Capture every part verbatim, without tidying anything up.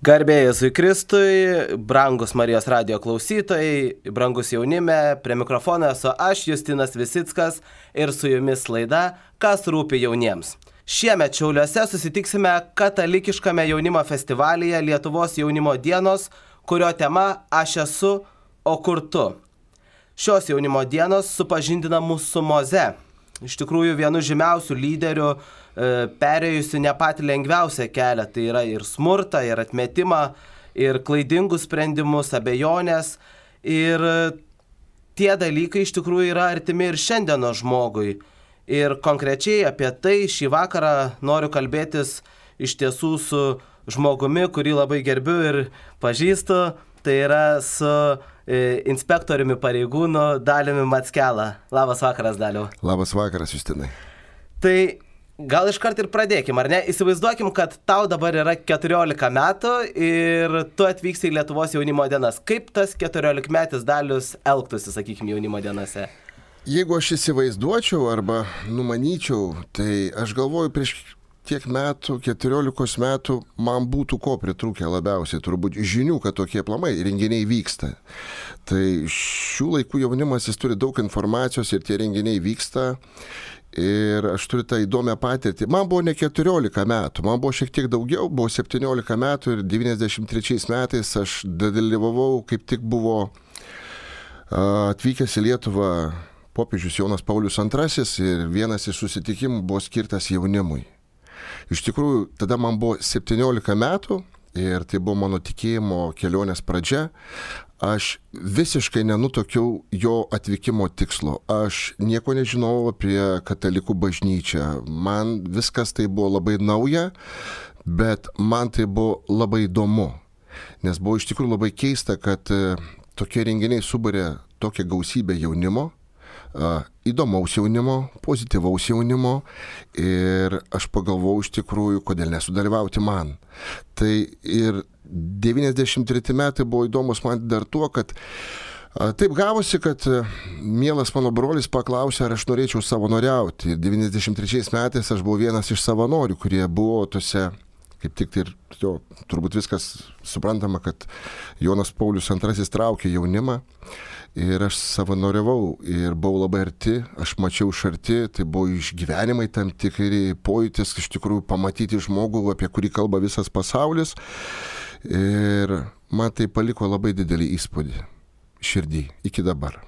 Garbė Jėzui Kristui, brangus Marijos radijo klausytojai, brangus jaunime, prie mikrofono esu aš, Justinas Visickas, ir su jumis laida Kas rūpi jauniems. Šiemet Šiauliuose susitiksime katalikiškame jaunimo festivalyje Lietuvos jaunimo dienos, kurio tema Aš esu, o kur tu. Šios jaunimo dienos supažindina mus su Moze, iš tikrųjų vienu žymiausių lyderių, perėjusi ne patį lengviausią kelią, tai yra ir smurtą, ir atmetimą, ir klaidingus sprendimus, abejonės. Ir tie dalykai iš tikrųjų yra artimi ir šiandieno žmogui. Ir konkrečiai apie tai šį vakarą noriu kalbėtis iš tiesų su žmogumi, kurį labai gerbiu ir pažįstu. Tai yra su e, inspektoriumi pareigūnu Daliumi Mackelą. Labas vakaras, Daliau. Labas vakaras, Justinai. Tai gal iškart ir pradėkim, ar ne? Įsivaizduokim, kad tau dabar yra keturiolika metų ir tu atvyksi į Lietuvos jaunimo dienas. Kaip tas keturiolikmetis Dalius elgtųsi, sakykime, jaunimo dienose? Jeigu aš įsivaizduočiau arba numanyčiau, tai aš galvoju, prieš tiek metų, keturiolikos metų, man būtų ko pritrūkę labiausiai, turbūt žinių, kad tokie aplamai renginiai vyksta. Tai šių laikų jaunimas, jis turi daug informacijos ir tie renginiai vyksta. Ir aš turiu tą įdomią patirtį. Man buvo ne keturiolika metų, man buvo šiek tiek daugiau, buvo septyniolika metų ir devyniasdešimt trečiais metais aš dalyvavau, kaip tik buvo atvykęs į Lietuvą popiežius Jonas Paulius antrasis ir vienas iš susitikimų buvo skirtas jaunimui. Iš tikrųjų, tada man buvo septyniolika metų ir tai buvo mano tikėjimo kelionės pradžia. Aš visiškai nenutuokiau jo atvykimo tikslo. Aš nieko nežinojau apie katalikų bažnyčią. Man viskas tai buvo labai nauja, bet man tai buvo labai įdomu. Nes buvo iš tikrųjų labai keista, kad tokie renginiai subarė tokią gausybę jaunimo, įdomaus jaunimo, pozityvaus jaunimo ir aš pagalvojau iš tikrųjų, kodėl nesudalyvauti man. Tai ir devyniasdešimt treti metai buvo įdomus man dar tuo, kad taip gavosi, kad mielas mano brolis paklausė, ar aš norėčiau savanoriauti. devyniasdešimt trečiais metais aš buvau vienas iš savanorių, kurie buvo tose, kaip tik tai ir jo, turbūt viskas suprantama, kad Jonas Paulius antrasis traukė jaunimą. Ir aš savanoriavau ir buvau labai arti, aš mačiau iš arti, tai buvo išgyvenimai tam tikri pojūtis, iš tikrųjų pamatyti žmogų, apie kurį kalba visas pasaulis. Ir man tai paliko labai didelį įspūdį širdį iki dabar.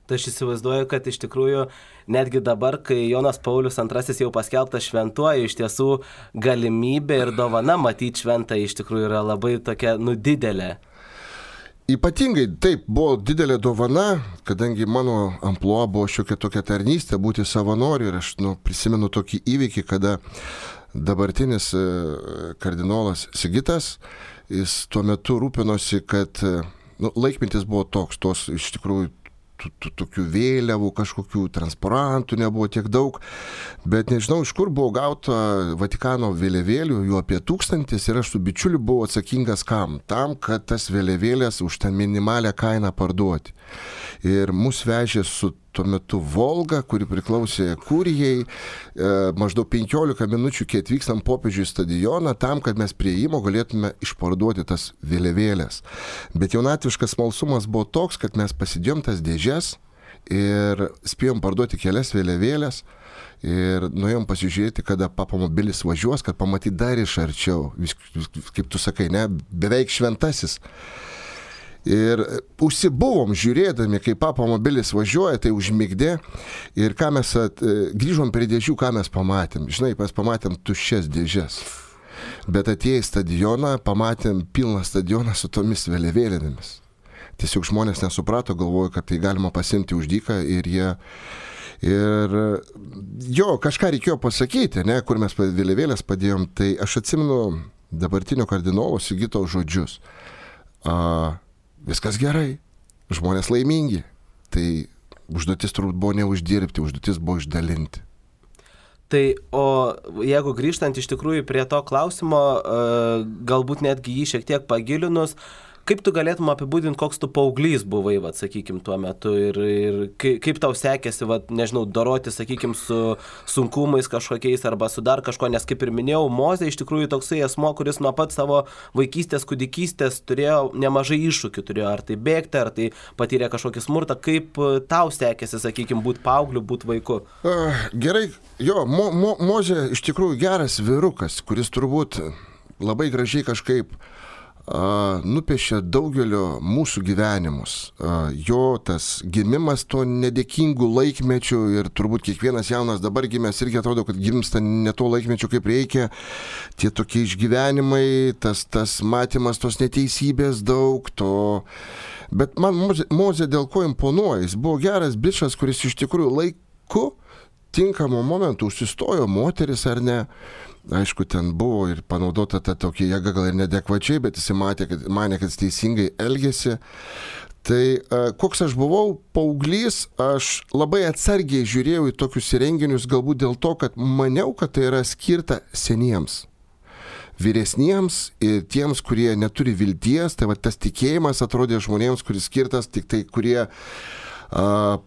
Tai aš įsivaizduoju, kad iš tikrųjų netgi dabar, kai Jonas Paulius antrasis jau paskelbtas šventuoju, iš tiesų galimybė ir dovana matyti šventą iš tikrųjų yra labai tokia nudidelė. Ypatingai taip buvo didelė dovana, kadangi mano amplua buvo šiokia tokia tarnystė, būti savanoriu ir aš nu, prisimenu tokį įvykį, kada dabartinis kardinolas Sigitas, jis tuo metu rūpinosi, kad nu, laikmetis buvo toks, tos iš tikrųjų tokių vėliavų, kažkokių transparantų nebuvo tiek daug, bet nežinau, iš kur buvo gauta Vatikano vėliavėlių, jų apie tūkstantis ir aš su bičiuliu buvau atsakingas kam? Tam, kad tas vėliavėlės už tą minimalią kainą parduoti. Ir mus vežė su tuo metu Volga, kuri priklausė kurijai, e, maždaug penkiolika minučių, kai atvykstam popiežių į stadioną, tam, kad mes prie įėjimo galėtume išparduoti tas vėliavėlės. Bet jaunatviškas smalsumas buvo toks, kad mes pasidėjom tas dėžes ir spėjom parduoti kelias vėliavėlės ir nuėjom pasižiūrėti, kada papamobilis važiuos, kad pamatyti dar iš arčiau, vis, kaip tu sakai, ne, beveik šventasis. Ir užsibuvom žiūrėdami, kai papamobilis važiuoja, tai užmigdė. Ir ką mes at, grįžom prie dėžių, ką mes pamatėm. Žinai, mes pamatėm tuščias dėžes. Bet atėję į stadioną, pamatėm pilną stadioną su tomis vėliavėlėmis. Tiesiog žmonės nesuprato, galvojo, kad tai galima pasimti už dyką ir jie... Ir jo, kažką reikėjo pasakyti, ne, kur mes vėliavėlės padėjom. Tai aš atsimenu dabartinio kardinolo Sigito žodžius. A, Viskas gerai, žmonės laimingi. Tai užduotis turbūt buvo neuždirbti, užduotis buvo išdalinti. Tai o jeigu grįžtant iš tikrųjų prie to klausimo, galbūt netgi jį šiek tiek pagilinus, kaip tu galėtum apibūdinti, koks tu paauglys buvai, vat, sakykim, tuo metu ir, ir kaip, kaip tau sekėsi, vat, nežinau, doroti, sakykim, su sunkumais kažkokiais arba su dar kažko, nes kaip ir minėjau, Mozė iš tikrųjų toksai asmo, kuris nuo pat savo vaikystės, kūdikystės turėjo nemažai iššūkių, turėjo ar tai bėgti, ar tai patyrė kažkokį smurtą, kaip tau sekėsi, sakykim, būti paaugliu, būti vaiku? Uh, gerai, jo, Mo, Mo, Mozė iš tikrųjų geras vyrukas, kuris turbūt labai gražiai kažkaip Uh, nupiešia daugelio mūsų gyvenimus. Uh, jo tas gimimas to nedėkingų laikmečių ir turbūt kiekvienas jaunas dabar gimęs irgi atrodo, kad gimsta ne to laikmečio kaip reikia. Tie tokie išgyvenimai, tas, tas matymas tos neteisybės daug, to... Bet man Mozė, Mozė dėl ko imponuoja, jis buvo geras bičas, kuris iš tikrųjų laiku, tinkamu momentu užsistojo moteris ar ne. Aišku, ten buvo ir panaudota ta tokia jėga gal ir nedekvačiai, bet jis matė, kad, manė, kad jis teisingai elgėsi. Tai koks aš buvau paauglys, aš labai atsargiai žiūrėjau į tokius renginius, galbūt dėl to, kad maniau, kad tai yra skirta seniems, vyresniems ir tiems, kurie neturi vilties. Tai va, tas tikėjimas atrodė žmonėms, kuris skirtas tik tai, kurie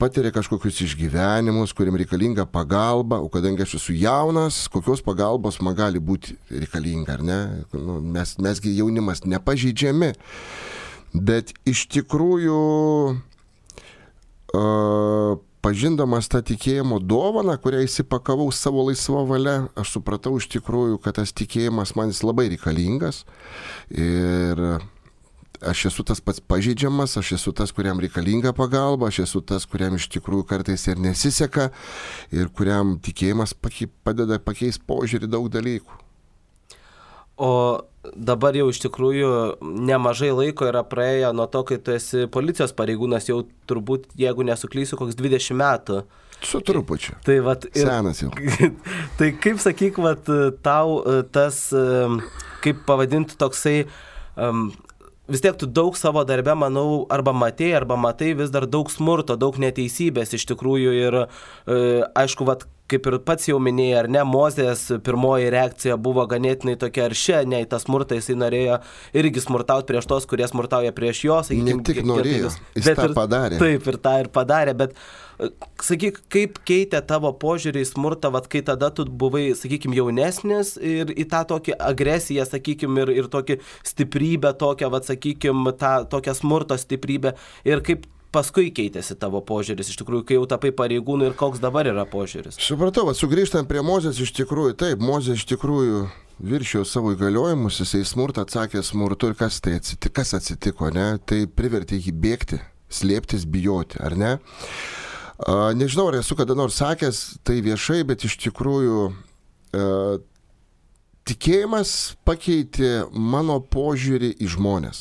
patiria kažkokius išgyvenimus, kuriem reikalinga pagalba, o kadangi aš esu jaunas, kokios pagalbos man gali būti reikalinga, ar ne? Nu, mes, mesgi jaunimas nepažeidžiami, bet iš tikrųjų uh, pažindamas tą tikėjimo dovaną, kurią įsipakavau savo laisvą valią, aš supratau iš tikrųjų, kad tas tikėjimas man jis labai reikalingas ir aš esu tas pats pažeidžiamas, aš esu tas, kuriam reikalinga pagalba, aš esu tas, kuriam iš tikrųjų kartais ir nesiseka ir kuriam tikėjimas padeda pakeisti požiūrį daug dalykų. O dabar jau iš tikrųjų nemažai laiko yra praėję nuo to, kai tu esi policijos pareigūnas, jau turbūt, jeigu nesuklysiu, koks dvidešimt metų. Su trupučiu. Tai, vat, ir, senas jau. Tai kaip sakyk, vat, tau tas, kaip pavadinti toksai... Um, vis tiek tu daug savo darbe, manau, arba matei, arba matai vis dar daug smurto, daug neteisybės iš tikrųjų ir e, aišku, vat, kaip ir pats jau minėjai, ar ne, Mozės pirmoji reakcija buvo ganėtinai tokia aršia, ne į tą smurtą, jisai norėjo irgi smurtauti prieš tos, kurie smurtauja prieš jos. Ne tik norėjo, jis tą padarė. Taip, ir tą ir padarė, bet sakyk, kaip keitė tavo požiūrį į smurtą, vat, kai tada tu buvai, sakykim, jaunesnis ir į tą tokį agresiją, sakykim, ir, ir tokį stiprybę, tokią, vat, sakykim, tą tokią smurto stiprybę ir kaip paskui keitėsi tavo požiūris, iš tikrųjų, kai jau tapai pareigūnų ir koks dabar yra požiūris? Supratau, vat, sugrįžtant prie Mozės, iš tikrųjų, taip, Mozė iš tikrųjų viršijo savo įgaliojimus, jisai smurtą atsakė smurtu ir kas tai atsitiko, kas atsitiko, ne? Tai privertė jį bėgti, slėptis, bijoti, ar ne? A, nežinau, ar esu kada nors sakęs tai viešai, bet iš tikrųjų a, tikėjimas pakeitė mano požiūrį į žmones.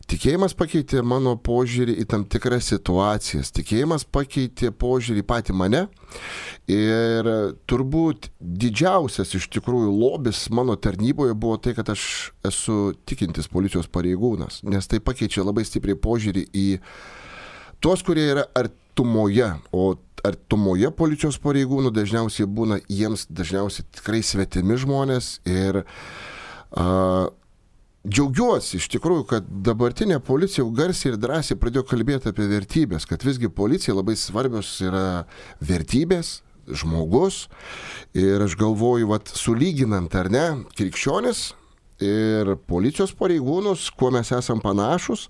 Tikėjimas pakeitė mano požiūrį į tam tikras situacijas. Tikėjimas pakeitė požiūrį į patį mane. Ir turbūt didžiausias iš tikrųjų lobis mano tarnyboje buvo tai, kad aš esu tikintis policijos pareigūnas. Nes tai pakeičia labai stipriai požiūrį į tuos, kurie yra artumoje, o artumoje policijos pareigūnų dažniausiai būna jiems dažniausiai tikrai svetimi žmonės ir a, džiaugiuosi iš tikrųjų, kad dabartinė policija jau garsiai ir drąsiai pradėjo kalbėti apie vertybės, kad visgi policija labai svarbios yra vertybės, žmogus ir aš galvoju, vat, sulyginant ar ne, krikščionis ir policijos pareigūnus, kuo mes esam panašus,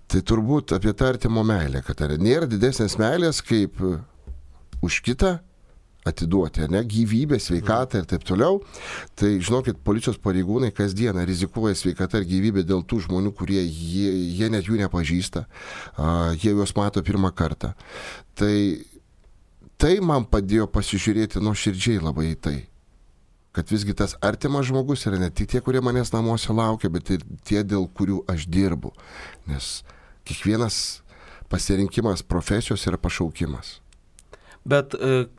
tai turbūt apie tą artimo meilę, kad ar nėra didesnės meilės kaip už kitą atiduoti, ne, gyvybę, sveikatą ir taip toliau. Tai žinokit, policijos pareigūnai kasdieną rizikuoja sveikatą ir gyvybę dėl tų žmonių, kurie jie, jie net jų nepažįsta, jie juos mato pirmą kartą. Tai, tai man padėjo pasižiūrėti nuoširdžiai labai į tai. Kad visgi tas artimas žmogus yra ne tik tie, kurie manęs namuose laukia, bet ir tie, dėl kurių aš dirbu. Nes kiekvienas pasirinkimas profesijos yra pašaukimas. Bet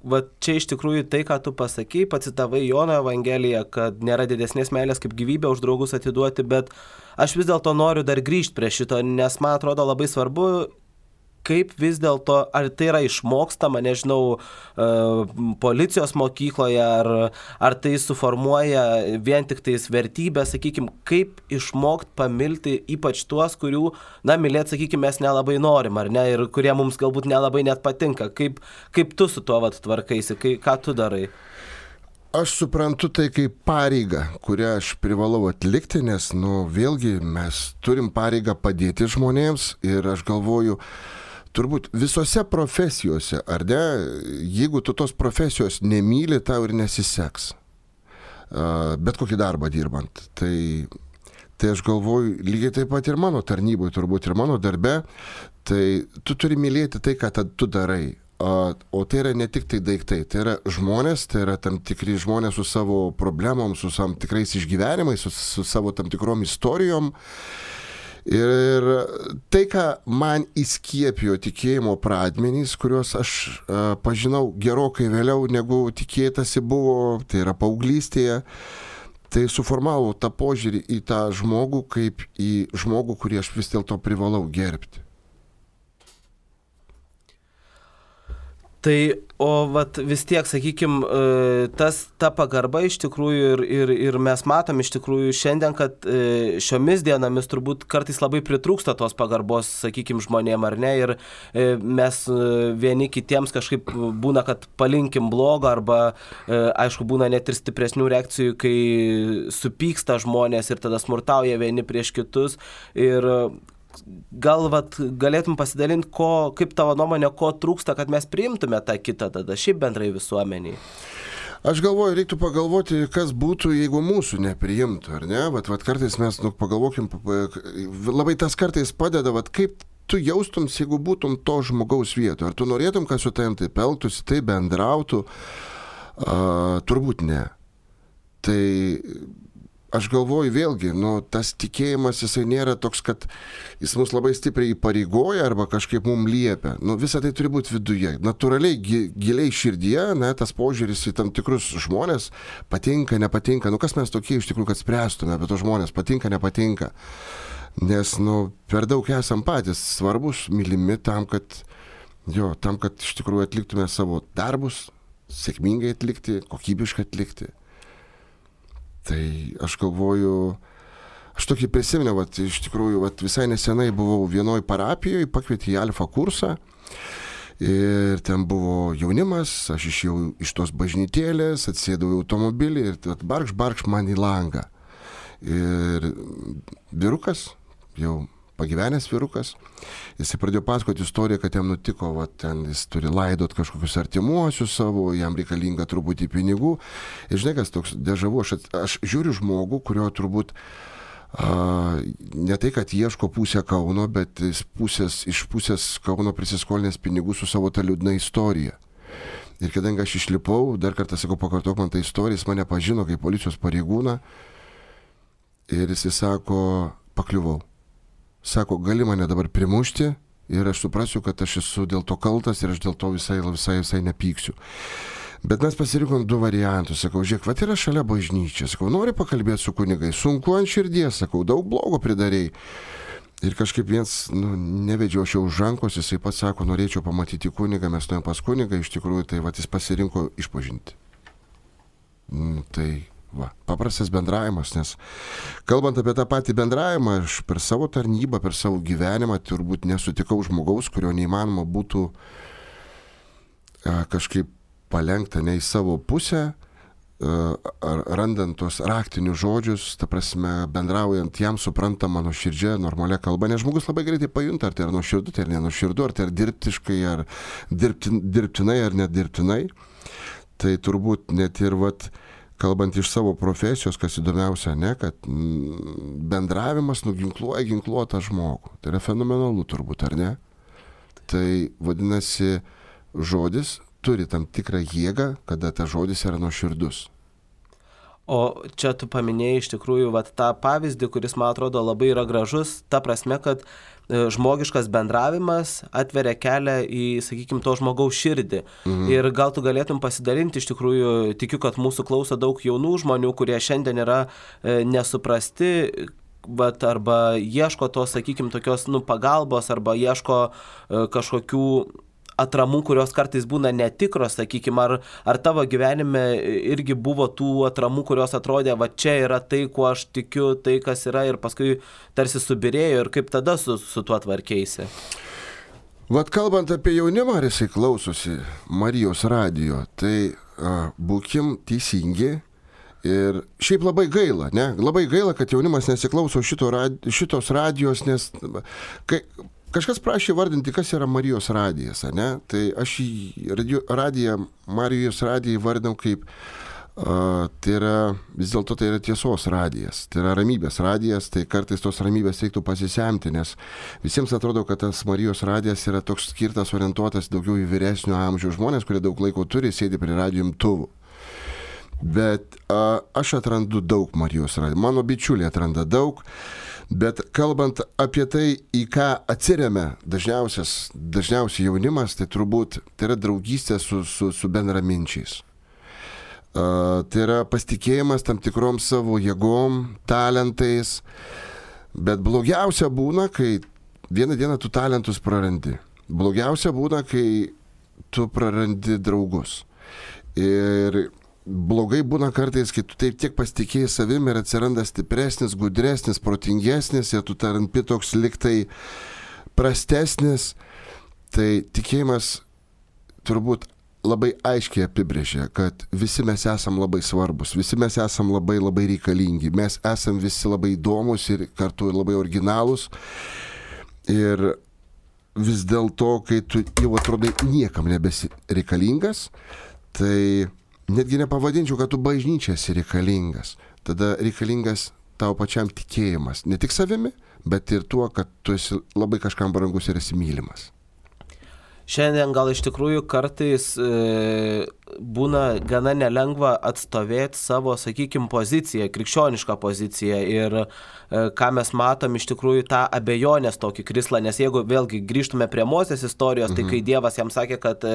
va, čia iš tikrųjų tai, ką tu pasakei, pacitavai Jono Evangeliją, kad nėra didesnės meilės kaip gyvybę už draugus atiduoti, bet aš vis dėlto noriu dar grįžti prie šito, nes man atrodo labai svarbu, kaip vis dėlto, ar tai yra išmokstama, nežinau, policijos mokykloje, ar, ar tai suformuoja vien tik tais vertybę, sakykime, kaip išmokti pamilti ypač tuos, kurių, na, mylėti, sakykime, mes nelabai norim, ar ne, ir kurie mums galbūt nelabai net patinka. Kaip, kaip tu su tuo vat tvarkaisi, kai, ką tu darai? Aš suprantu tai kaip pareigą, kurią aš privalau atlikti, nes, nu, vėlgi mes turim pareigą padėti žmonėms ir aš galvoju, turbūt visose profesijose, ar ne, jeigu tu tos profesijos nemyli, tau ir nesiseks. Bet kokį darbą dirbant. Tai, tai aš galvoju, lygiai taip pat ir mano tarnyboje, turbūt ir mano darbe, tai tu turi mylėti tai, ką tu darai. O tai yra ne tik tai daiktai, tai yra žmonės, tai yra tam tikri žmonės su savo problemom, su tam tikrais išgyvenimais, su, su savo tam tikrom istorijom. Ir tai, ką man įskiepijo tikėjimo pradmenys, kuriuos aš a, pažinau gerokai vėliau, negu tikėtasi buvo, tai yra paauglystėje, tai suformavo tą požiūrį į tą žmogų kaip į žmogų, kurį aš vis dėlto privalau gerbti. Tai, o vat vis tiek, sakykime, tas, ta pagarba iš tikrųjų ir, ir, ir mes matom iš tikrųjų šiandien, kad šiomis dienomis turbūt kartais labai pritrūksta tos pagarbos, sakykime, žmonėm, ar ne, ir mes vieni kitiems kažkaip būna, kad palinkim blogo, arba, aišku, būna net ir stipresnių reakcijų, kai supyksta žmonės ir tada smurtauja vieni prieš kitus. Ir gal vat, galėtum pasidalinti, ko, kaip tavo nuomonė, ko trūksta, kad mes priimtume tą kitą tada, šiaip bendrai visuomeniai? Aš galvoju, reiktų pagalvoti, kas būtų, jeigu mūsų nepriimtų, ar ne? Vat, vat kartais mes, nu, pagalvokim, labai tas kartais padeda, vat, kaip tu jaustums, jeigu būtum to žmogaus vietoje. Ar tu norėtum, kad su tavim taip elgtųsi, taip bendrautų? A, turbūt ne. Tai aš galvoju vėlgi, nu, tas tikėjimas, jisai nėra toks, kad jis mus labai stipriai įpareigoja arba kažkaip mums liepia. Nu, visa tai turi būti viduje. Natūraliai, giliai širdyje, ne, tas požiūris į tam tikrus žmonės patinka, nepatinka. Nu, kas mes tokie iš tikrųjų, kad spręstume apie tos žmonės, patinka, nepatinka. Nes, nu, per daug esam patys svarbus, mylimi tam, kad, jo, tam, kad iš tikrųjų atliktume savo darbus, sėkmingai atlikti, kokybiškai atlikti. Tai aš galvoju, aš tokį prisiminiau, vat, iš tikrųjų, vat, visai nesenai buvau vienoj parapijoje, pakvietė į alfa kursą ir ten buvo jaunimas, aš išėjau iš tos bažnytėlės, atsėdau į automobilį ir vat, barkš, barkš man į langą. Ir vyrukas, jau pagyvenęs vyrukas, jisai pradėjo pasakoti istoriją, kad jam nutiko, va, ten jis turi laidot kažkokius artimuosius savo, jam reikalinga truputį pinigų. Ir žinai, kas toks dežavu, aš, aš žiūriu žmogų, kurio turbūt a, ne tai, kad ieško pusę Kauno, bet jis pusės, iš pusės Kauno prisiskolinęs pinigų su savo ta liūdna istorija. Ir kadangi aš išlipau, dar kartą sakau, pakartok man tą istoriją, jis mane pažino kaip policijos pareigūną ir jis sako, pakliuvau. Sako, gali mane dabar primušti ir aš suprasiu, kad aš esu dėl to kaltas ir aš dėl to visai, visai, visai nepyksiu. Bet mes pasirinkom du variantus. Sakau, žiūrėk, vat yra šalia bažnyčia. Sakau, nori pakalbėti su kunigai? Sunku ant širdies, sakau, daug blogo pridarėjai. Ir kažkaip viens, nu, nevedžiau aš jau už rankos, jisai pats sako, norėčiau pamatyti kunigą, mes nuėjom pas kunigą, iš tikrųjų, tai vat jis pasirinko išpažinti. Mm, tai... Va, paprastas bendravimas, nes kalbant apie tą patį bendravimą, aš per savo tarnybą, per savo gyvenimą turbūt nesutikau žmogaus, kurio neįmanoma būtų a, kažkaip palengta ne į savo pusę, a, randant tos raktinius žodžius, ta prasme, bendraujant jam suprantamą nuoširdžią, normalią kalbą, nes žmogus labai greitai pajunta, ar tai yra nuoširdu, tai yra nenuoširdu, ar tai yra dirbtiškai, ar dirbtin, dirbtinai, ar nedirbtinai. Tai turbūt net ir vat kalbant iš savo profesijos, kas įdomiausia, ne, kad bendravimas nuginkluoja ginkluotą žmogų. Tai yra fenomenalu turbūt, ar ne? Tai vadinasi, žodis turi tam tikrą jėgą, kada tas žodis yra nuoširdus. O čia tu paminėjai iš tikrųjų vat, tą pavyzdį, kuris, man atrodo, labai yra gražus, ta prasme, kad žmogiškas bendravimas atveria kelią į, sakykime, to žmogaus širdį. Mhm. Ir gal tu galėtum pasidalinti, iš tikrųjų, tikiu, kad mūsų klauso daug jaunų žmonių, kurie šiandien yra e, nesuprasti, vat, arba ieško tos, sakykime, tokios nu, pagalbos, arba ieško e, kažkokių atramų, kurios kartais būna netikros, sakykime, ar, ar tavo gyvenime irgi buvo tų atramų, kurios atrodė, va čia yra tai, kuo aš tikiu, tai kas yra ir paskui tarsi subirėjo ir kaip tada su, su tuo tvarkeisi? Vat kalbant apie jaunimą, ar jisai klausosi Marijos radijo, tai a, būkim teisingi. Ir šiaip labai gaila, ne? Labai gaila, kad jaunimas nesiklauso šito rad, šitos radijos, nes kai, kažkas prašė vardinti, kas yra Marijos radijas, ne? Tai aš į radio, radiją, Marijos radiją vardinau kaip, uh, tai yra, vis dėlto tai yra tiesos radijas, tai yra ramybės radijas, tai kartais tos ramybės reiktų pasisemti, nes visiems atrodo, kad tas Marijos radijas yra toks skirtas, orientuotas daugiau į vyresnio amžiaus žmonės, kurie daug laiko turi, sėdi prie radijo imtuvų. Bet a, aš atrandu daug Marijos radijo, mano bičiuliai atranda daug, bet kalbant apie tai, į ką atsiremia dažniausias, dažniausiai jaunimas, tai turbūt tai yra draugystė su, su, su bendraminčiais. A, tai yra pasitikėjimas tam tikrom savo jėgom, talentais, bet blogiausia būna, kai vieną dieną tu talentus prarandi. Blogiausia būna, kai tu prarandi draugus. Ir blogai būna kartais, kai tu taip tiek pasitikėjai savim ir atsiranda stipresnis, gudresnis, protingesnis ir tu tarampi toks liktai prastesnis, tai tikėjimas turbūt labai aiškiai apibrėžia, kad visi mes esam labai svarbus, visi mes esam labai labai reikalingi, mes esam visi labai įdomus ir kartu labai originalūs ir vis dėlto, kai tu jau atrodai niekam nebesi reikalingas, tai netgi nepavadinčiau, kad tu bažnyčia esi reikalingas. Tada reikalingas tau pačiam tikėjimas. Ne tik savimi, bet ir tuo, kad tu esi labai kažkam brangus ir esi mylimas. Šiandien gal iš tikrųjų kartais e, būna gana nelengva atstovėti savo, sakykime, poziciją, krikščionišką poziciją ir e, ką mes matom iš tikrųjų tą abejonės tokį krislą, nes jeigu vėlgi grįžtume prie Mozės istorijos, mhm. tai kai Dievas jam sakė, kad e,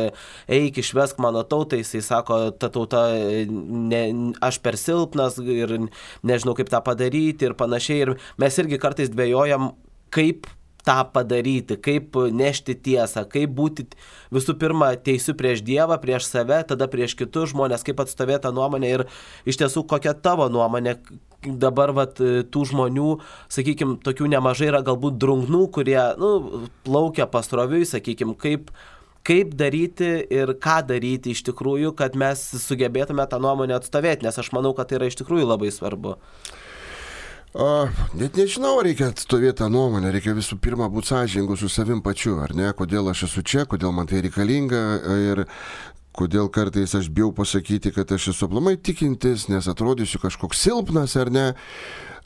eik išvesk mano tautą, jisai sako, ta tauta, ne, aš per silpnas ir nežinau kaip tą padaryti ir panašiai ir mes irgi kartais dvejojam, kaip tą padaryti, kaip nešti tiesą, kaip būti visų pirma teisiu prieš Dievą, prieš save, tada prieš kitus žmonės, kaip atstovėti tą nuomonę ir iš tiesų kokia tavo nuomonė dabar vat, tų žmonių, sakykime, tokių nemažai yra galbūt drungnų, kurie nu, plaukia pasroviui, sakykime, kaip, kaip daryti ir ką daryti iš tikrųjų, kad mes sugebėtume tą nuomonę atstovėti, nes aš manau, kad tai yra iš tikrųjų labai svarbu. O, net nežinau, reikia atstovėti tą nuomonę, reikia visų pirma būti sąžiningu su savim pačiu, ar ne, kodėl aš esu čia, kodėl man tai reikalinga ir kodėl kartais aš bijau pasakyti, kad aš esu aplamai tikintis, nes atrodysiu kažkoks silpnas, ar ne.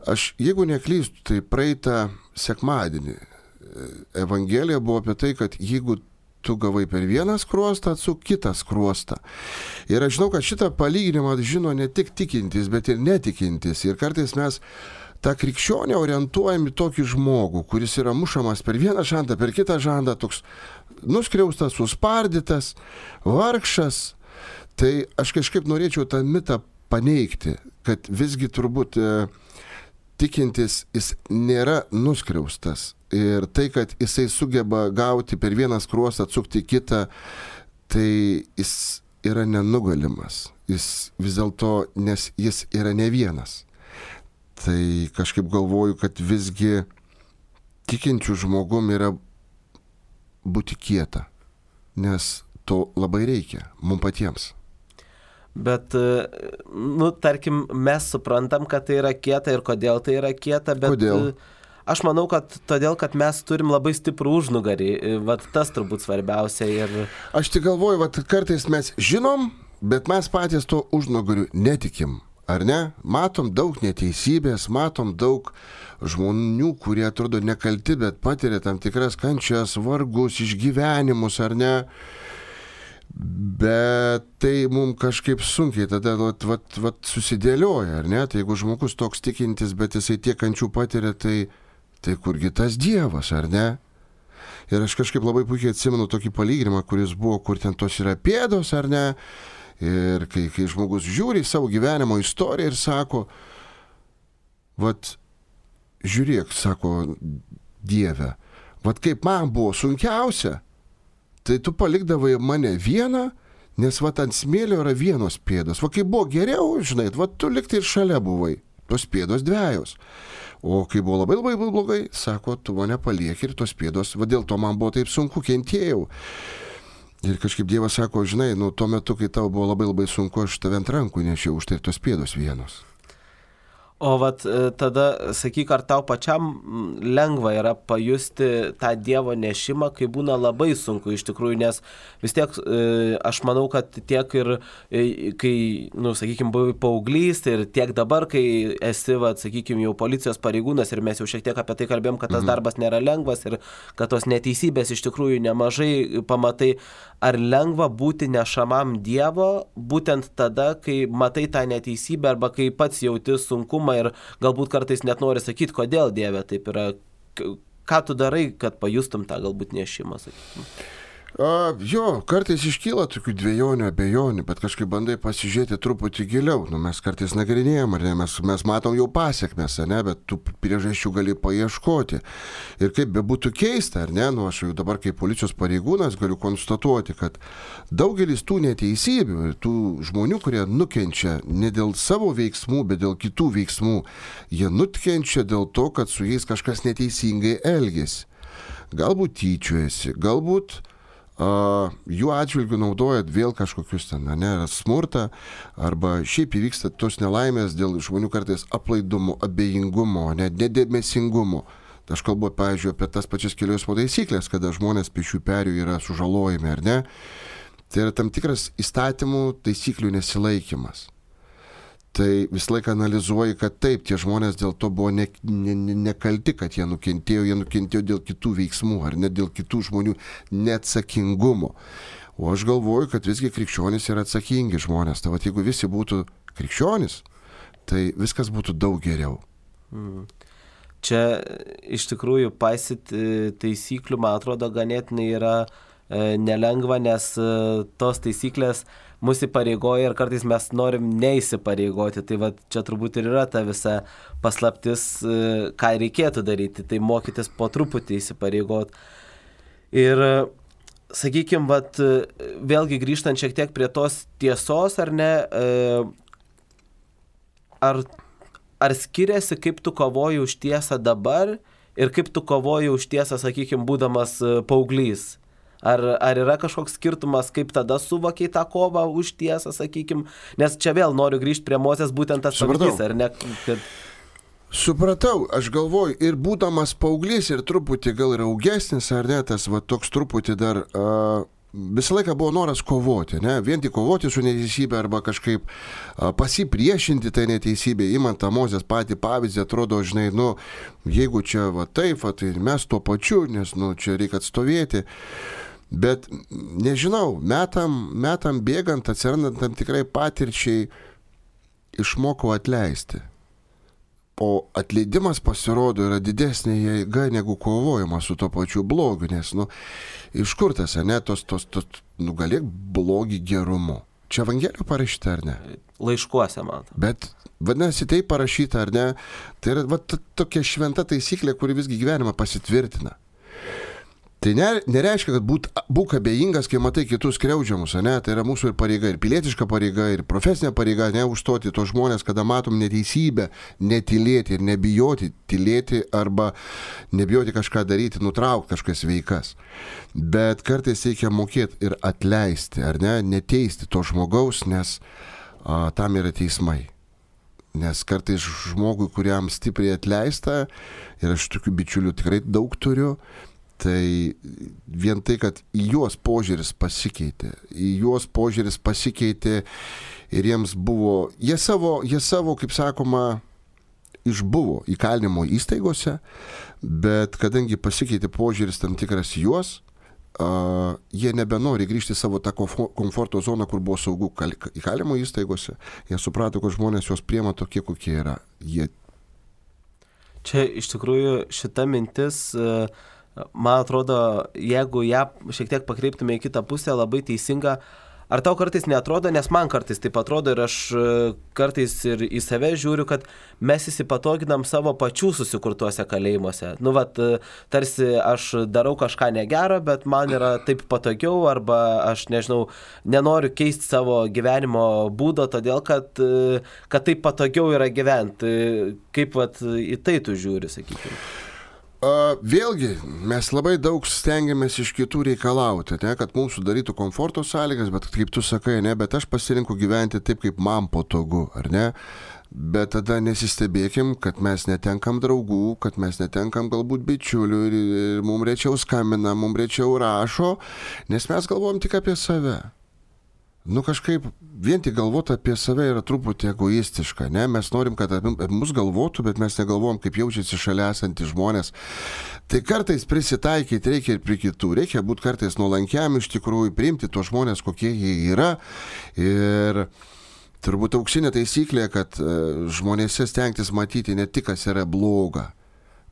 Aš, jeigu neklystu, tai praeitą sekmadienį Evangelija buvo apie tai, kad jeigu tu gavai per vieną skruostą, atsuk kitą skruostą. Ir aš žinau, kad šitą palyginimą žino ne tik tikintis, bet ir netikintis. Ir kartais mes tą krikščionę orientuojam į tokį žmogų, kuris yra mušamas per vieną žandą, per kitą žandą, toks nuskriaustas, suspardytas, vargšas. Tai aš kažkaip norėčiau tą mitą paneigti, kad visgi turbūt e, tikintis jis nėra nuskriaustas. Ir tai, kad jisai sugeba gauti per vieną skruostą, atsukti kitą, tai jis yra nenugalimas. Jis vis dėlto, nes jis yra ne vienas. Tai kažkaip galvoju, kad visgi tikinčių žmogum yra būti kieta, nes to labai reikia mums patiems. Bet, nu, tarkim, mes suprantam, kad tai yra kieta ir kodėl tai yra kieta, bet kodėl? Aš manau, kad todėl, kad mes turim labai stiprų užnugarį, vat tas turbūt svarbiausia. Ir... Aš tik galvoju, vat kartais mes žinom, bet mes patys to užnugariu netikim. Ar ne? Matom daug neteisybės, matom daug žmonių, kurie atrodo nekalti, bet patiria tam tikras kančias, vargus, išgyvenimus, ar ne? Bet tai mums kažkaip sunkiai tada vat, vat, vat, susidėlioja, ar ne? Tai jeigu žmogus toks tikintis, bet jisai tiek kančių patiria, tai, tai kurgi tas Dievas, ar ne? Ir aš kažkaip labai puikiai atsimenu tokį palyginimą, kuris buvo, kur ten tos yra pėdos, ar ne? Ir kai, kai žmogus žiūri savo gyvenimo istoriją ir sako, vat, žiūrėk, sako Dieve, vat kaip man buvo sunkiausia, tai tu palikdavai mane vieną, nes vat ant smėlio yra vienos pėdos. Va kaip buvo geriau, žinai, va tu liktai ir šalia buvai, tos pėdos dviejos. O kai buvo labai labai blogai, sako, tu mane palieki ir tos pėdos, va dėl to man buvo taip sunku, kentėjau. Ir kažkaip Dievas sako, žinai, nu tuo metu, kai tau buvo labai labai sunku, aš tave ant rankų nešiau, už tai tos pėdos vienos. O vat tada, sakyk, ar tau pačiam lengva yra pajusti tą Dievo nešimą, kai būna labai sunku iš tikrųjų, nes vis tiek aš manau, kad tiek ir kai, nu, sakykime, buvai paauglys ir tiek dabar, kai esi, vat, sakykime, jau policijos pareigūnas ir mes jau šiek tiek apie tai kalbėjom, kad tas mhm. darbas nėra lengvas ir kad tos neteisybės iš tikrųjų nemažai pamatai. Ar lengva būti nešamam Dievo būtent tada, kai matai tą neteisybę arba kai pats jauti sunkumą ir galbūt kartais net nori sakyti, kodėl Dieve taip yra, ką tu darai, kad pajustum tą galbūt nešimą, sakykime? A, jo, kartais iškyla tokių dviejonių, abejonių, bet kažkaip bandai pasižiūrėti truputį giliau. Nu, mes kartais nagrinėjom, ar ne, mes, mes matom jau pasiekmes, ne, bet tų priežasčių gali paieškoti. Ir kaip bebūtų keista, ar ne, nu, aš jau dabar kaip policijos pareigūnas galiu konstatuoti, kad daugelis tų neteisybių ir tų žmonių, kurie nukenčia ne dėl savo veiksmų, bet dėl kitų veiksmų, jie nukenčia dėl to, kad su jais kažkas neteisingai elgiasi. Galbūt tyčiojasi, galbūt Uh, jų atžvilgių naudojat vėl kažkokius ten, ne, smurtą, arba šiaip įvyksta tos nelaimės dėl žmonių kartais aplaidumo, abejingumo, ne, nedėmesingumo. Aš kalbu, pavyzdžiui, apie tas pačias kelių eismo taisyklės, kada žmonės pešių perėjų yra sužalojami, ar ne? Tai yra tam tikras įstatymų taisyklių nesilaikymas. Tai visą laiką analizuoji, kad taip, tie žmonės dėl to buvo ne, ne, ne, nekalti, kad jie nukentėjo, jie nukentėjo dėl kitų veiksmų, ar net dėl kitų žmonių neatsakingumo. O aš galvoju, kad visgi krikščionys yra atsakingi žmonės. Tai va, jeigu visi būtų krikščionys, tai viskas būtų daug geriau. Mm. Čia iš tikrųjų paisyti taisyklių, man atrodo, ganėtinai yra e, nelengva, nes e, tos taisyklės mūsų įpareigoja ir kartais mes norim neįsipareigoti. Tai va, čia turbūt ir yra ta visa paslaptis, ką reikėtų daryti. Tai mokytis po truputį įsipareigoti. Ir, sakykime, va, vėlgi grįžtant šiek tiek prie tos tiesos, ar ne, ar, ar skiriasi, kaip tu kovoji už tiesą dabar ir kaip tu kovoji už tiesą, sakykime, būdamas paauglys? Ar, ar yra kažkoks skirtumas, kaip tada suvokiai tą kovą už tiesą, sakykime, nes čia vėl noriu grįžti prie Mozės, būtent tas pavyzdys, ar ne? Kad... Supratau, aš galvoju, ir būdamas paauglys, ir truputį gal ir augesnis, ar ne, tas va toks truputį dar, uh, visą laiką buvo noras kovoti, ne, vien tik kovoti su neteisybė arba kažkaip uh, pasipriešinti tai neteisybė, imant tą Mozės patį pavyzdį, atrodo, žinai, nu, jeigu čia va taip, va, tai mes tuo pačiu, nes, nu, čia reikia atstovėti. Bet, nežinau, metam, metam bėgant, atsirandant tam tikrai patirčiai, išmokau atleisti. O atleidimas pasirodo yra didesnė jėga negu kovojimas su to pačiu blogiu, nes, nu, iš kur tas, ne, tos, tos, tos, nugalėk blogį gerumu. Čia Evangelijoje parašyta, ar ne? Laiškuose, man. Bet, vadinasi, tai parašyta, ar ne? Tai yra va, tokia šventa taisyklė, kuri visgi gyvenimą pasitvirtina. Tai nereiškia, kad būt, būk abejingas, kai matai kitus skriaudžiamus, ne? Tai yra mūsų ir pareiga, ir pilietiška pareiga, ir profesinė pareiga, ne užstoti tos žmonės, kada matom neteisybę, netylėti ir nebijoti tylėti arba nebijoti kažką daryti, nutraukti kažkas veikas. Bet kartais reikia mokėti ir atleisti, ar ne, neteisti to žmogaus, nes a, tam yra teismai. Nes kartais žmogui, kuriam stipriai atleista, ir aš tokių bičiulių tikrai daug turiu, tai vien tai, kad į juos požiūris pasikeitė, į juos požiūris pasikeitė ir jiems buvo, jie savo, jie savo, kaip sakoma, išbuvo įkalinimo įstaigose, bet kadangi pasikeitė požiūris tam tikras juos, uh, jie nebenori grįžti į savo tą komforto zoną, kur buvo saugu įkalinimo įstaigose, jie suprato, kad žmonės juos priema tokie, kokie yra. Jie... Čia iš tikrųjų šita mintis... Uh... Man atrodo, jeigu ją šiek tiek pakreiptume į kitą pusę, labai teisinga, ar tau kartais neatrodo, nes man kartais taip atrodo ir aš kartais ir į save žiūriu, kad mes įsipatoginam savo pačių susikurtuose kalėjimuose. Nu, vat, tarsi aš darau kažką negero, bet man yra taip patogiau, arba aš, nežinau, nenoriu keisti savo gyvenimo būdo, todėl kad, kad taip patogiau yra gyventi. Kaip vat, į tai tu žiūri, sakykime? Uh, vėlgi, mes labai daug stengiamės iš kitų reikalauti, ne, kad mums sudarytų komforto sąlygas, bet kaip tu sakai, ne, bet aš pasirinku gyventi taip, kaip man patogu, ar ne? Bet tada nesistebėkim, kad mes netenkam draugų, kad mes netenkam galbūt bičiulių ir, ir mums rečiau skambina, mums rečiau rašo, nes mes galvojam tik apie save. Nu kažkaip vien tik galvoti apie save yra truputį egoistiška, ne? Mes norim, kad apie mus galvotų, bet mes negalvojam, kaip jaučiasi šalia esantys žmonės. Tai kartais prisitaikyti reikia ir prie kitų, reikia būti kartais nuolankiam iš tikrųjų, priimti tuos žmonės, kokie jie yra. Ir turbūt auksinė taisyklė, kad žmonėse stengtis matyti ne tik, kas yra bloga,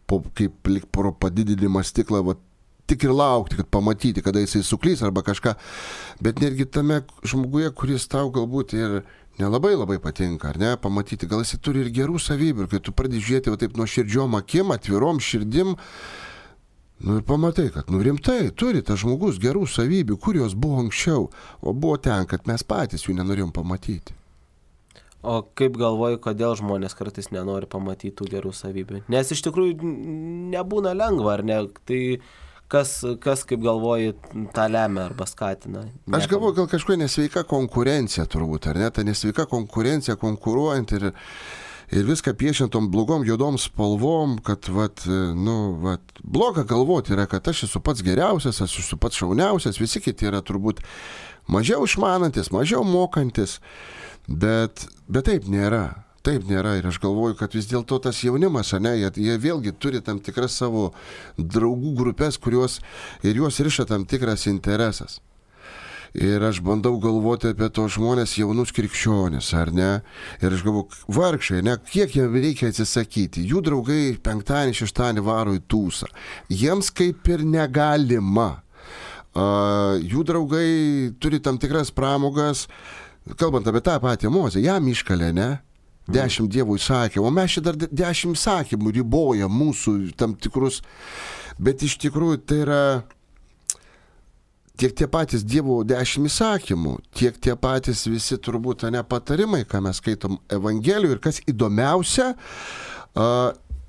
po, kaip pro padidinimą stiklą, va, tik ir laukti, kad pamatyti, kada jisai suklys arba kažką, bet netgi tame žmoguje, kuris tau galbūt ir nelabai labai patinka, ar ne, pamatyti, gal jisai turi ir gerų savybių, ir kai tu pradedi žiūrėti va taip nuo širdžiom akim, atvirom širdim, nu ir pamatai, kad nu rimtai turi tas žmogus gerų savybių, kur jos buvo anksčiau, o buvo ten, kad mes patys jų nenorėjom pamatyti. O kaip galvoji, kodėl žmonės kartais nenori pamatyti tų gerų savybių? Nes iš tikrųjų nebūna lengva, ar ne? Tai Kas, kas, kaip galvoji, tą lemia arba skatina? Niekam. Aš galvoju, gal kažkokia nesveika konkurencija turbūt, ar ne? Ta nesveika konkurencija, konkuruojant ir, ir viską piešiant tom blogom, juodom spalvom, kad, vat, nu, vat, bloga galvoti yra, kad aš esu pats geriausias, aš esu pats šauniausias, visi kiti yra turbūt mažiau išmanantis, mažiau mokantis, bet, bet taip nėra. Taip nėra ir aš galvoju, kad vis dėlto tas jaunimas, ne, jie, jie vėlgi turi tam tikras savo draugų grupės, kurios ir juos riša tam tikras interesas. Ir aš bandau galvoti apie tos žmonės jaunus krikščionis, ar ne? Ir aš galvoju, vargšai, ne, kiek jiem reikia atsisakyti. Jų draugai penktadienį, šeštadienį varo į tūsą. Jiems kaip ir negalima. Uh, jų draugai turi tam tikras pramogas, kalbant apie tą patį Mozę, jam iškalė, ne? Dešimt dievų įsakė, o mes čia dar dešimt įsakymų riboja mūsų tam tikrus, bet iš tikrųjų tai yra tiek tie patys dievo dešimt įsakymų, tiek tie patys visi turbūt ne patarimai, ką mes skaitom Evangelijų ir kas įdomiausia,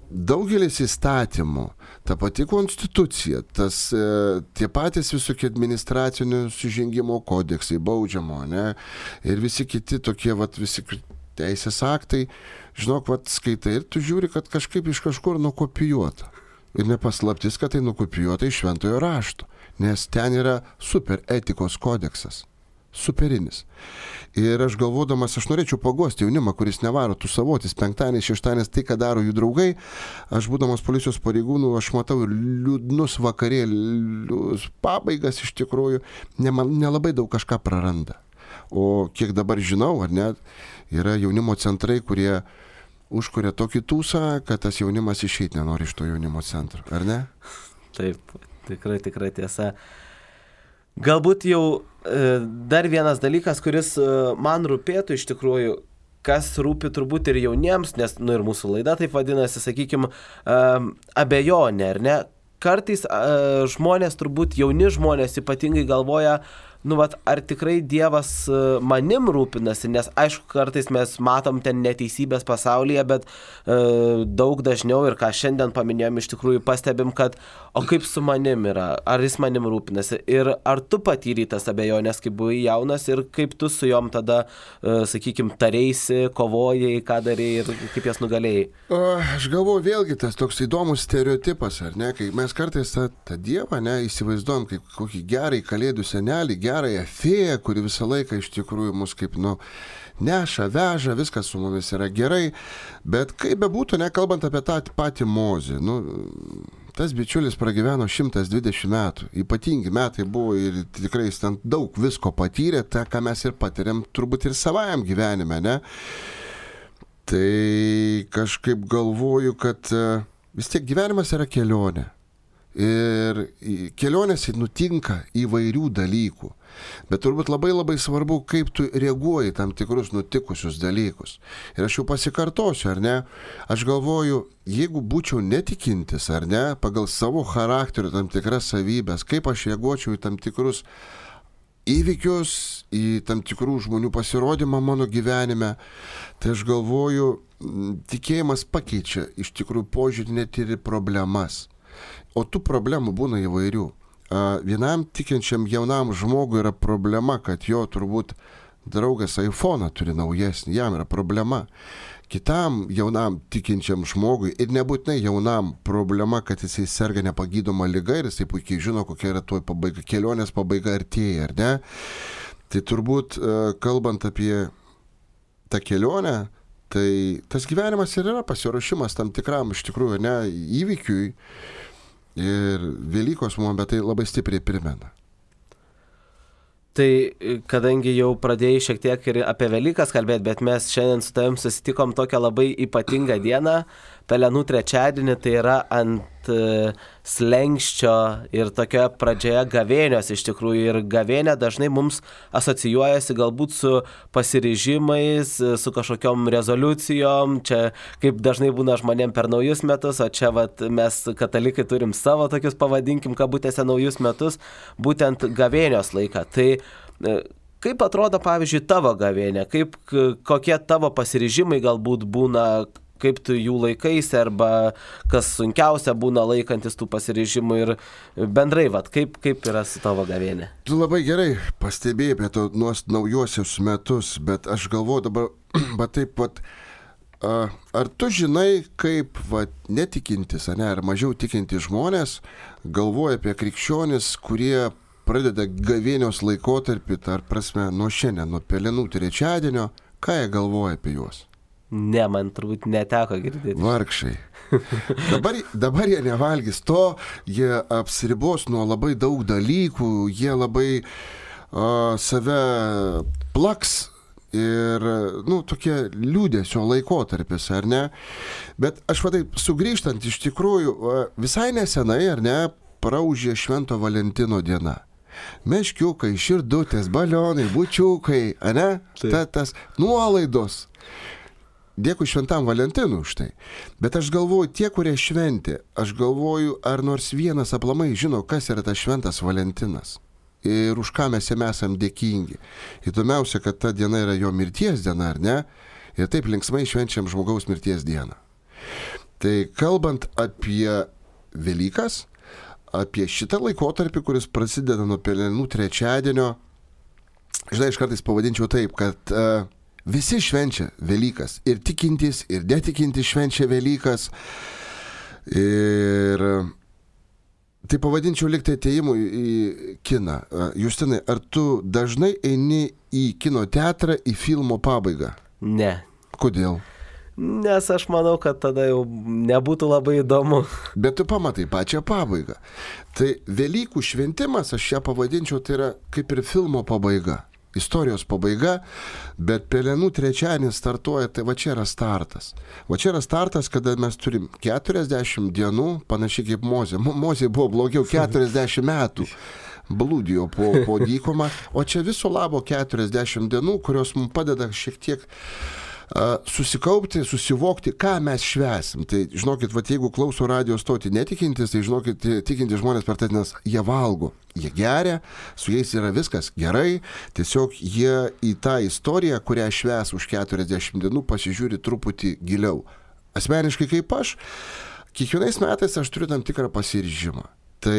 daugelis įstatymų, ta pati konstitucija, tas, tie patys visokie administracinių sužengimo kodeksai, baudžiamo, ne, ir visi kiti tokie, vat, visi teisės aktai, žinok, vat, skaitai ir tu žiūri, kad kažkaip iš kažkur nukopijuota. Ir nepaslaptis, kad tai nukopijuota iš šventojo rašto, nes ten yra super etikos kodeksas, superinis. Ir aš galvodamas, aš norėčiau paguosti jaunimą, kuris nevaro tų savotis, penktadienis, šeštadienis, tai, ką daro jų draugai, aš būdamas policijos pareigūnų, aš matau ir liūdnus vakarėlius, pabaigas iš tikrųjų, nelabai daug kažką praranda. O kiek dabar žinau, ar ne, yra jaunimo centrai, kurie užkuria tokį tūsą, kad tas jaunimas išeit nenori iš to jaunimo centro, ar ne? Taip, tikrai, tikrai tiesa. Galbūt jau e, dar vienas dalykas, kuris e, man rūpėtų iš tikrųjų, kas rūpi turbūt ir jauniems, nes, nu ir mūsų laida taip vadinasi, sakykime, e, abejonė, ar ne? Kartais e, žmonės, turbūt jauni žmonės ypatingai galvoja, nu, vat, ar tikrai Dievas manim rūpinasi, nes aišku, kartais mes matom ten neteisybės pasaulyje, bet e, daug dažniau ir ką šiandien paminėjom, iš tikrųjų pastebim, kad o kaip su manim yra, ar jis manim rūpinasi ir ar tu patyrei tas abejonės, kai buvai jaunas ir kaip tu su jom tada, e, sakykim, tareisi, kovojai, ką darėjai ir kaip jas nugalėjai. O, aš galvoju, vėlgi tas toks įdomus stereotipas, ar ne, kai mes kartais tą, tą Dievą, ne, įsivaizduojam kaip kokį gerą kalėdų senelį, gerąją fėją, kuri visą laiką iš tikrųjų mus kaip, nu, neša, veža, viskas su mumis yra gerai, bet kaip bebūtų, nekalbant apie tą patį Mozę, nu, tas bičiulis pragyveno šimtas dvidešimt metų, ypatingi metai buvo ir tikrai jis ten daug visko patyrė, tą, ką mes ir patiriam turbūt ir savajam gyvenime, ne? Tai kažkaip galvoju, kad vis tiek gyvenimas yra kelionė. Ir kelionėse nutinka įvairių dalykų. Bet turbūt labai labai svarbu, kaip tu reaguoji tam tikrus nutikusius dalykus. Ir aš jau pasikartosiu, ar ne? Aš galvoju, jeigu būčiau netikintis, ar ne, pagal savo charakterio tam tikras savybės, kaip aš reaguočiau į tam tikrus įvykius, į tam tikrų žmonių pasirodymą mano gyvenime, tai aš galvoju, tikėjimas pakeičia iš tikrųjų požiūrį net ir į problemas. O tų problemų būna įvairių. Vienam tikinčiam jaunam žmogui yra problema, kad jo turbūt draugas iPhone'ą turi naujesnį, jam yra problema. Kitam jaunam tikinčiam žmogui, ir nebūtinai jaunam, problema, kad jisai serga nepagydoma liga ir jisai puikiai žino, kokia yra tuoj pabaiga, kelionės pabaiga artėja, ar ne? Tai turbūt, kalbant apie tą kelionę, tai tas gyvenimas ir yra pasiruošimas tam tikram iš tikrųjų, ne, įvykiui. Ir Velykos mums apie tai labai stipriai primena. Tai kadangi jau pradėjai šiek tiek ir apie Velykas kalbėti, bet mes šiandien su tavim susitikom tokią labai ypatingą dieną, Pelenų trečiadienį, tai yra ant slenkščio ir tokioje pradžioje gavėnios iš tikrųjų. Ir gavėnė dažnai mums asocijuojasi galbūt su pasiryžimais, su kažkokiom rezoliucijom, čia kaip dažnai būna žmonėm per naujus metus, o čia vat, mes katalikai turim savo tokius, pavadinkim, kabutėse naujus metus, būtent gavėnios laiką. Tai kaip atrodo, pavyzdžiui, tavo gavėnė, kaip, kokie tavo pasiryžimai galbūt būna, kaip tu jų laikaisi, arba kas sunkiausia būna laikantis tų pasiryžimų ir bendrai, vat, kaip, kaip yra su tavo gavėnė? Tu labai gerai pastebėjai apie to naujosius metus, bet aš galvoju dabar, bet taip pat, ar tu žinai, kaip vat, netikintis, ne, ar mažiau tikintis žmonės galvoja apie krikščionis, kurie pradeda gavėnios laikotarpį, ar prasme, nuo šiandien, nuo Pelenų trečiadienio, ką jie galvoja apie juos? Ne, man turbūt neteko girdėti. Vargšai. Dabar, dabar jie nevalgys to, jie apsiribos nuo labai daug dalykų, jie labai uh, save plaks ir, nu, tokie liūdesio laikotarpis, ar ne? Bet aš vadai, sugrįžtant iš tikrųjų, uh, visai nesenai, ar ne, praūžė Švento Valentino diena. Meškiukai, širdutės, balionai, bučiukai, ane? Ta, tas nuolaidos. Dėkui Šventam Valentinui už tai. Bet aš galvoju, tie, kurie šventė, aš galvoju, ar nors vienas aplamai žino, kas yra tas Šventas Valentinas. Ir už ką mes jam esam dėkingi. Įdomiausia, kad ta diena yra jo mirties diena, ar ne? Ir taip linksmai švenčiam žmogaus mirties dieną. Tai kalbant apie Velykas, apie šitą laikotarpį, kuris prasideda nuo Pelenų trečiadienio, žinai, aš kartais pavadinčiau taip, kad uh, visi švenčia Velykas. Ir tikintys, ir netikintys švenčia Velykas. Ir tai pavadinčiau liktai atėjimu į kiną. Justinai, ar tu dažnai eini į kino teatrą į filmo pabaigą? Ne. Kodėl? Nes aš manau, kad tada jau nebūtų labai įdomu. Bet tu pamatai pačią pabaigą. Tai Velykų šventimas, aš ją pavadinčiau, tai yra kaip ir filmo pabaiga. Istorijos pabaiga, bet Pelenų trečiadienis startuoja, tai va čia yra startas. Va čia yra startas, kada mes turim keturiasdešimt dienų, panašiai kaip Mozė. Mozė buvo blogiau keturiasdešimt metų. Blūdijo po, po dykumą, o čia viso labo keturiasdešimt dienų, kurios mums padeda šiek tiek uh, susikaupti, susivokti, ką mes švęsim. Tai žinokit, va, jeigu klauso radio stoti netikintis, tai žinokit, tikintis žmonės per tai, nes jie valgo, jie geria, su jais yra viskas gerai, tiesiog jie į tą istoriją, kurią švęs už keturiasdešimt dienų, pasižiūri truputį giliau. Asmeniškai kaip aš, kiekvienais metais aš turiu tam tikrą pasiryžimą. Tai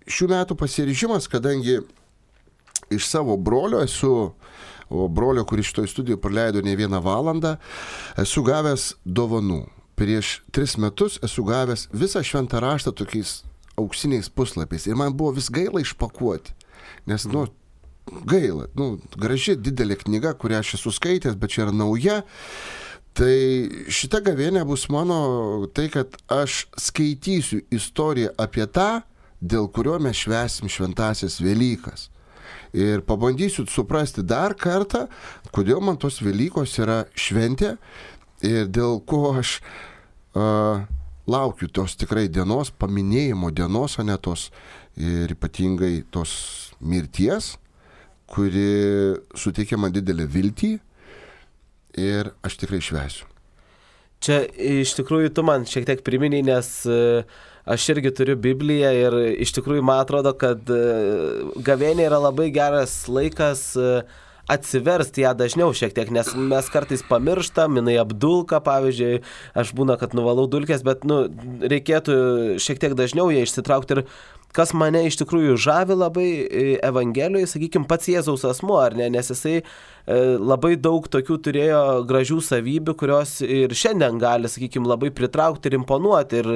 šių metų pasiryžimas, kadangi iš savo brolio esu, o brolio, kuris šitoj studijoje praleido ne vieną valandą, esu gavęs dovanų. Prieš tris metus esu gavęs visą šventą raštą tokiais auksiniais puslapiais. Ir man buvo vis gaila išpakuoti. Nes, nu, gaila. Nu, graži, didelė knyga, kurią aš esu skaitęs, bet čia yra nauja. Tai šita gavėnė bus mano tai, kad aš skaitysiu istoriją apie tą, dėl kurio mes švęsim šventasias Velykas. Ir pabandysiu suprasti dar kartą, kodėl man tos Velykos yra šventė ir dėl ko aš uh, laukiu tos tikrai dienos, paminėjimo dienos, o ne tos ir ypatingai tos mirties, kuri suteikia man didelį viltį ir aš tikrai švęsiu. Čia iš tikrųjų tu man šiek tiek priminiai, nes aš irgi turiu Bibliją ir iš tikrųjų man atrodo, kad gavėnė yra labai geras laikas atsiversti ją dažniau šiek tiek, nes mes kartais pamirštam, jinai apdulka, pavyzdžiui, aš būna, kad nuvalau dulkės, bet nu, reikėtų šiek tiek dažniau ją išsitraukti ir kas mane iš tikrųjų žavi labai Evangelijoje, sakykime, pats Jėzaus asmuo, ar ne, nes jisai labai daug tokių turėjo gražių savybių, kurios ir šiandien gali, sakykime, labai pritraukti ir imponuoti ir,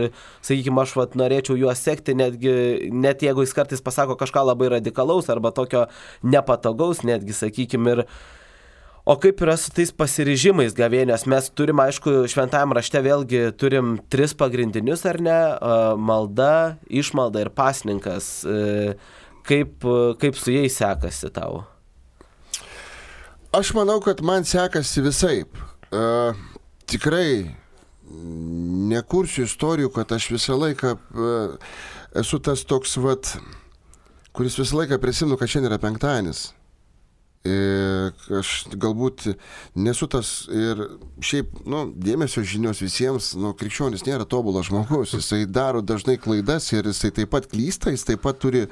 sakykime, aš vat, norėčiau juos sekti, netgi, net jeigu jis kartais pasako kažką labai radikalaus arba tokio nepatogaus, netgi, sakykime, ir o kaip yra su tais pasiryžimais gavėnios? Mes turim, aišku, šventajam rašte vėlgi turim tris pagrindinius, ar ne? Malda, išmalda ir pasninkas. Kaip, kaip su jais sekasi tau? Aš manau, kad man sekasi visaip. Uh, tikrai nekursiu istorijų, kad aš visą laiką uh, esu tas toks, vat, kuris visą laiką prisimenu, kad šiandien yra penktadienis. Ir aš galbūt nesu tas ir šiaip, nu, dėmesio žinios visiems, nu, krikščionis nėra tobulas žmogus, jisai daro dažnai klaidas ir jisai taip pat klysta, jis taip pat turi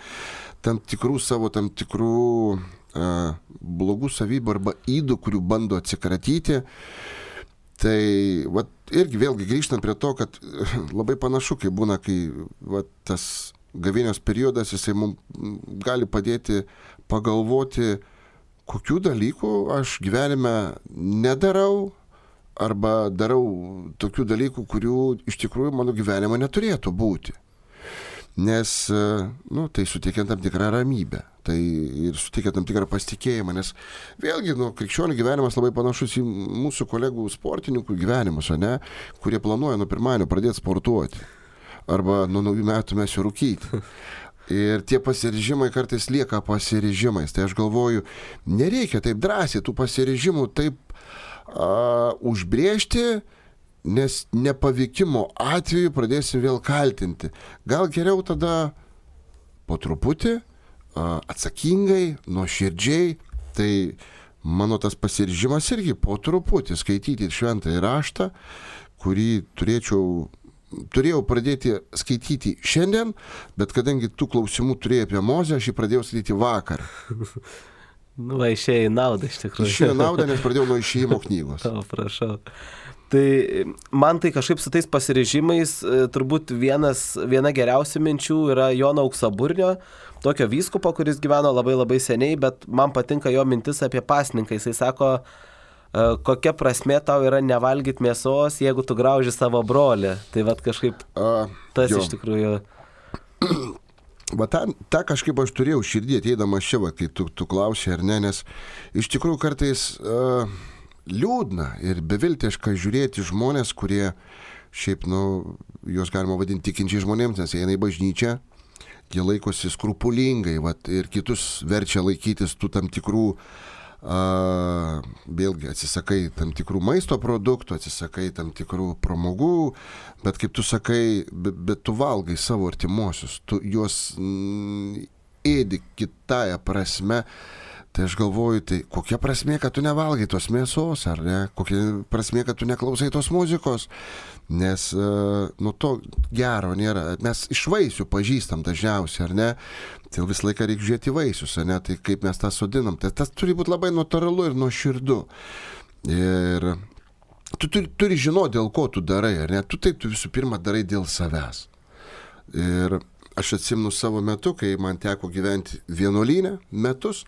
tam tikrų savo, tam tikrų uh, blogų savybių arba ydų, kurių bando atsikratyti. Tai, vat, irgi vėlgi grįžtant prie to, kad labai panašu, kai būna, kai vat, tas gavėnios periodas, jisai mums gali padėti pagalvoti, kokių dalykų aš gyvenime nedarau arba darau tokių dalykų, kurių iš tikrųjų mano gyvenime neturėtų būti. Nes, nu, tai suteikia tam tikrą ramybę, tai ir suteikia tam tikrą pasitikėjimą, nes vėlgi, nu, krikščionių gyvenimas labai panašus į mūsų kolegų sportininkų gyvenimus, ne, kurie planuoja nuo pirmadienio pradėti sportuoti arba nuo naujų metų mes jau rūkyti. Ir tie pasiryžimai kartais lieka pasiryžimais. Tai aš galvoju, nereikia taip drąsiai tų pasiryžimų taip a, užbrėžti, nes nepavykimo atveju pradėsim vėl kaltinti. Gal geriau tada po truputį, a, atsakingai, nuoširdžiai, tai mano tas pasiryžimas irgi po truputį skaityti šventąjį raštą, kurį turėčiau Turėjau pradėti skaityti šiandien, bet kadangi tų klausimų turėjai apie Mozę, aš jį pradėjau skaityti vakar. Nu, va, išėjo į naudą iš tikrųjų. Išėjo į naudą, nes pradėjau nuo išėjimo knygos. O, prašau. Tai man tai kažkaip su tais pasiryžimais turbūt vienas, viena geriausių minčių yra Jono Auksaburnio, tokio vyskupo, kuris gyveno labai labai seniai, bet man patinka jo mintis apie pasninką. Jisai sako, kokia prasmė tau yra nevalgyti mėsos, jeigu tu grauži savo brolį. Tai vat kažkaip tas jo. Iš tikrųjų. Va tą, tą kažkaip aš turėjau širdį ateidamas čia, va, kai tu, tu klausai ar ne, nes iš tikrųjų kartais uh, liūdna ir beviltiška žiūrėti žmonės, kurie šiaip, nu, juos galima vadinti tikinčiai žmonėms, nes jie eina į bažnyčią, jie laikosi skrupulingai, va, ir kitus verčia laikytis tų tam tikrų Uh, vėlgi atsisakai tam tikrų maisto produktų, atsisakai tam tikrų pramogų, bet kaip tu sakai, bet, bet tu valgai savo artimuosius, tu juos mm, ėdi kitąją prasme, tai aš galvoju, tai kokia prasmė, kad tu nevalgai tos mėsos, ar ne, kokia prasmė, kad tu neklausai tos muzikos, nes uh, nu to gero nėra, mes iš vaisių pažįstam dažniausiai, ar ne, tai visą laiką reikia žiūrėti vaisius, ar ne, tai kaip mes tą sodinam, tai tas turi būti labai natūralu ir nuoširdu. Ir tu turi, turi žinoti, dėl ko tu darai, ar ne, tu tai tu visų pirma darai dėl savęs. Ir aš atsimenu savo metu, kai man teko gyventi vienuolyne metus,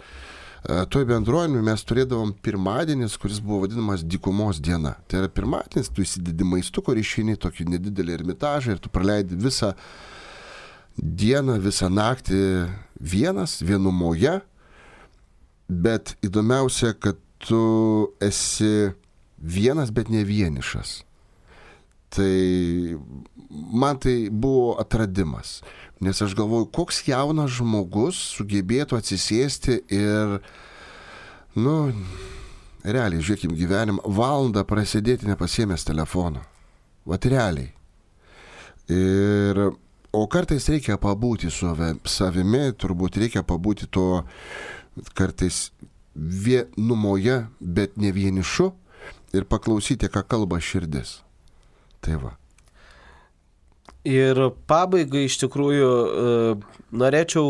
toj bendruomenėje mes turėdavom pirmadienis, kuris buvo vadinamas dykumos diena. Tai yra pirmadienis, tu įsidedi maistuko ir išeini tokį nedidelį ermitažą ir tu praleidi visą dieną, visą naktį vienas, vienumoje, bet įdomiausia, kad tu esi vienas, bet ne vienišas. Tai man tai buvo atradimas, nes aš galvoju, koks jaunas žmogus sugebėtų atsisėsti ir, nu, realiai, žiūrėkim gyvenimą, valandą prasėdėti nepasiėmęs telefono. Vat realiai. Ir, o kartais reikia pabūti su savimi, turbūt reikia pabūti to kartais vienumoje, bet ne vienišu ir paklausyti, ką kalba širdis. Tai va. Ir pabaigai iš tikrųjų norėčiau,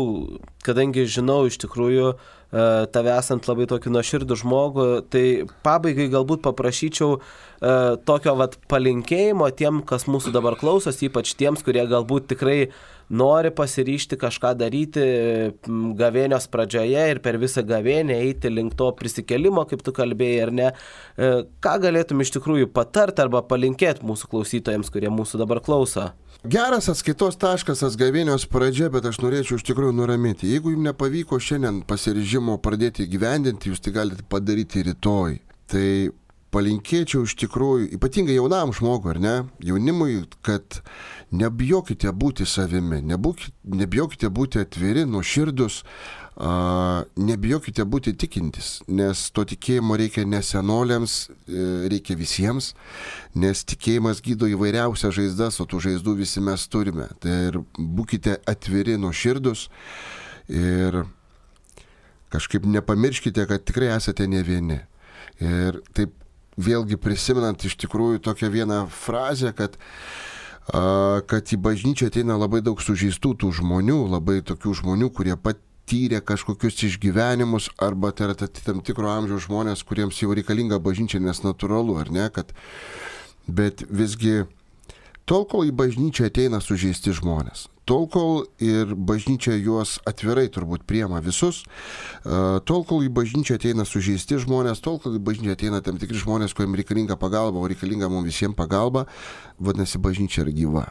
kadangi žinau iš tikrųjų tave esant labai tokį nuoširdų žmogų, tai pabaigai galbūt paprašyčiau tokio vat palinkėjimo tiem, kas mūsų dabar klausos, ypač tiems, kurie galbūt tikrai nori pasiryžti kažką daryti gavėnios pradžioje ir per visą gavėnę eiti link to prisikėlimo, kaip tu kalbėjai, ar ne. Ką galėtum iš tikrųjų patart arba palinkėti mūsų klausytojams, kurie mūsų dabar klauso? Geras atskaitos taškas gavėnios pradžia, bet aš norėčiau iš tikrųjų nuraminti. Jeigu jums nepavyko šiandien pasiryžimo pradėti gyvendinti, jūs tai galite padaryti rytoj. Tai palinkėčiau iš tikrųjų, ypatingai jaunam žmogui, ar ne, jaunimui, kad nebijokite būti savimi, nebūkite, nebijokite būti atviri, nuoširdus, uh, nebijokite būti tikintis, nes to tikėjimo reikia ne senoliams, reikia visiems, nes tikėjimas gydo įvairiausias žaizdas, o tų žaizdų visi mes turime. Tai ir būkite atviri, nuoširdus ir kažkaip nepamirškite, kad tikrai esate ne vieni. Ir taip vėlgi prisimenant iš tikrųjų tokią vieną frazę, kad, a, kad į bažnyčią ateina labai daug sužeistų tų žmonių, labai tokių žmonių, kurie patyrė kažkokius išgyvenimus, arba tai yra tam tikro amžiaus žmonės, kuriems jau reikalinga bažnyčia, nes natūralu, ar ne, kad, bet visgi tol, kol į bažnyčią ateina sužeisti žmonės, tol, kol ir bažnyčia juos atvirai turbūt priema visus, tol, kol į bažnyčią ateina sužeisti žmonės, tol, kol į bažnyčią ateina tam tikri žmonės, kuriems reikalinga pagalba, o reikalinga mums visiems pagalba, vadinasi, bažnyčia yra gyva.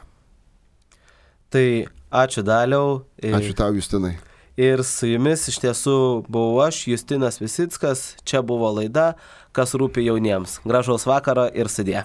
Tai ačiū Daliau. Ačiū tau, Justinai. Ir su jumis iš tiesų buvau aš, Justinas Visickas, čia buvo laida, kas rūpi jauniems. Gražaus vakaro ir sudie.